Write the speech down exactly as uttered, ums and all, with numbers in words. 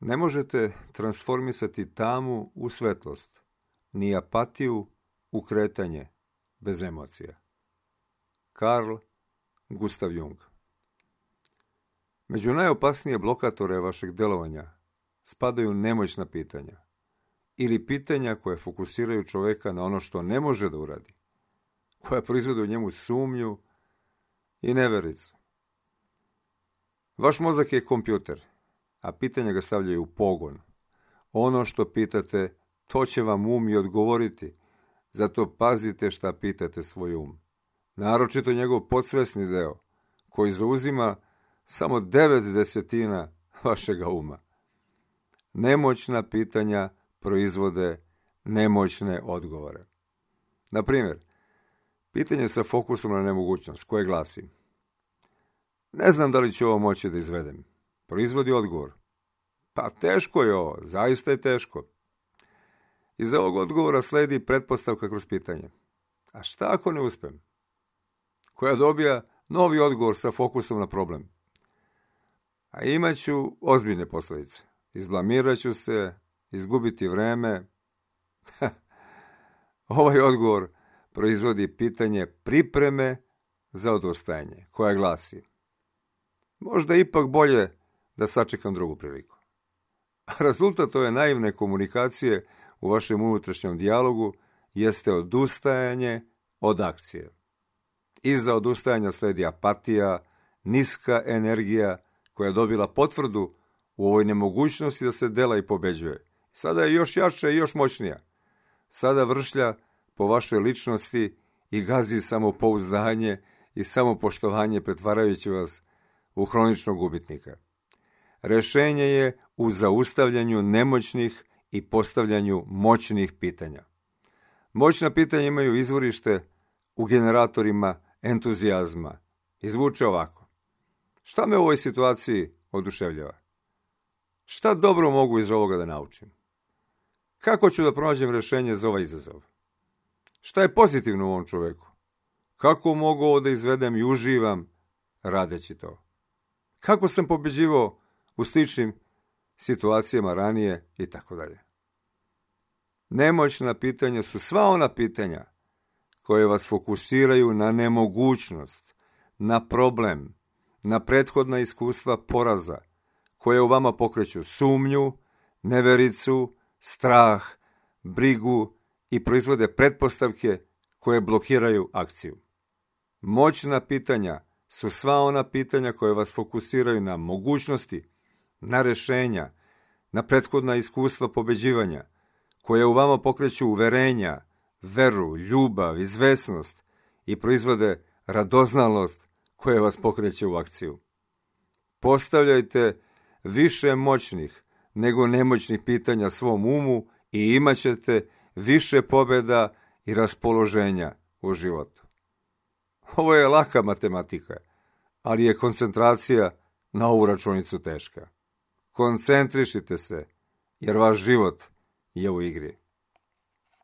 Ne možete transformisati tamu u svetlost, ni apatiju u kretanje bez emocija. Carl Gustav Jung. Među najopasnije blokatore vašeg delovanja spadaju nemoćna pitanja ili pitanja koje fokusiraju čoveka na ono što ne može da uradi, koja proizvode u njemu sumnju i nevericu. Vaš mozak je kompjuter, a pitanja ga stavljaju u pogon. Ono što pitate, to će vam um i odgovoriti, zato pazite šta pitate svoj um. Naročito njegov podsvesni deo, koji zauzima samo devet desetina vašega uma. Nemoćna pitanja proizvode nemoćne odgovore. Na primjer, pitanje sa fokusom na nemogućnost, koje glasi: ne znam da li ću ovo moći da izvedem. Proizvodi odgovor: pa teško je ovo, zaista je teško. Iz ovog odgovora sledi pretpostavka kroz pitanje: a šta ako ne uspem? Koja dobija novi odgovor sa fokusom na problem: a imat ću ozbiljne posljedice. Izblamirat ću se, izgubiti vreme. Ovaj odgovor proizvodi pitanje pripreme za odustajanje, koja glasi: možda ipak bolje da sačekam drugu priliku. Rezultat ove naivne komunikacije u vašem unutrašnjem dijalogu jeste odustajanje od akcije. Iza odustajanja sledi apatija, niska energija koja je dobila potvrdu u ovoj nemogućnosti da se dela i pobeđuje. Sada je još jača i još moćnija. Sada vršlja po vašoj ličnosti i gazi samopouzdanje i samopoštovanje, pretvarajući vas u hroničnog gubitnika. Rešenje je u zaustavljanju nemoćnih i postavljanju moćnih pitanja. Moćna pitanja imaju izvorište u generatorima entuzijazma. Izvuče ovako: šta me u ovoj situaciji oduševljava? Šta dobro mogu iz ovoga da naučim? Kako ću da pronađem rešenje za ovaj izazov? Šta je pozitivno u ovom čoveku? Kako mogu ovo da izvedem i uživam radeći to? Kako sam pobeđivao u sličnim situacijama ranije i tako dalje. Nemoćna pitanja su sva ona pitanja koje vas fokusiraju na nemogućnost, na problem, na prethodna iskustva poraza, koje u vama pokreću sumnju, nevericu, strah, brigu i proizvode pretpostavke koje blokiraju akciju. Moćna pitanja su sva ona pitanja koje vas fokusiraju na mogućnosti, na rešenja, na prethodna iskustva pobeđivanja, koje u vama pokreću uverenja, veru, ljubav, izvesnost i proizvode radoznalost koja vas pokreće u akciju. Postavljajte više moćnih nego nemoćnih pitanja svom umu i imat ćete više pobjeda i raspoloženja u životu. Ovo je laka matematika, ali je koncentracija na ovu računicu teška. Koncentrišite se, jer vaš život je u igri.